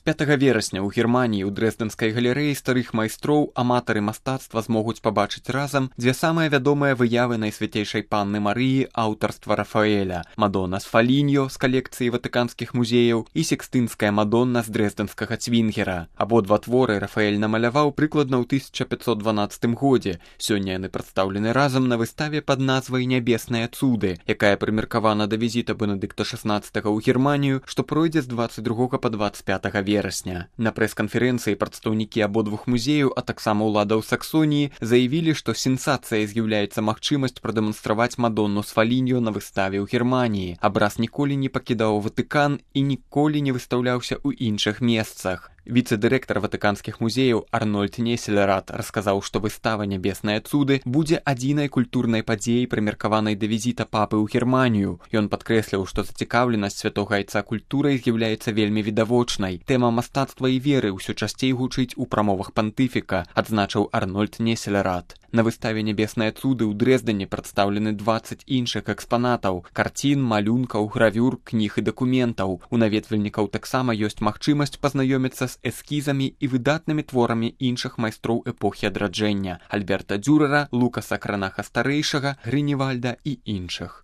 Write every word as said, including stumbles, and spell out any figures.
пятага верасня ў Германіі ў дрэздэнскай галерэі старых майстроў аматары мастацтва змогуць пабачыць разам дзве самыя вядомыя выявы Найсвяцейшай Панны Марыі аўтарства Рафаэля: Мадонна з Фаліньо з калекцыі ватыканскіх музеяў і Сікстынская Мадонна з дрэздэнскага цвінгера. Абодва творы Рафаэль намаляваў прыкладна ў тысяча пятьсот дванаццатым годзе. Сёння яны прадстаўлены разам на выставе пад назвай «Нябесныя цуды», якая прымеркавана да візіта Бенедыкта шаснаццатага ў Германію, што пройдзе з дваццаць другога па дваццаць пятага верасня. На прэс-канферэнцыі прадстаўнікі абодвух музеяў, а таксама ўладаў Саксоніі, заявілі, што сенсацыяй з'яўляецца магчымасць прадэманстраваць Мадонну з Фаліньо на выставе ў Германіі. Абраз ніколі не пакідаў Ватыкан і ніколі не выстаўляўся ў іншых месцах. Віцэ-дырэктар ватыканскіх музеяў Арнольд Неселерат расказаў, што выстава «Нябесныя цуды» будзе адзінай культурнай падзеяй, прымеркаванай да візіта папы ў Германію. Ён падкрэсліў, што зацікаўленасць святога айца культурай з'яўляецца вельмі відавочнай. Тэма мастацтва і веры ўсё часцей гучыць у прамовах пантыфіка, адзначыў Арнольд Неселерат. На выставе «Нябесныя цуды» ў Дрэздане прадстаўлены дваццаць іншых экспанатаў: карцін, малюнкаў, гравюр, кніг і дакументаў. У наведвальнікаў таксама ёсць магчымасць пазнаёміцца з эскізамі і выдатнымі творамі іншых майстроў эпохі адраджэння: Альберта Дюрера, Лукаса Кранаха старэйшага, Грыневальда і іншых.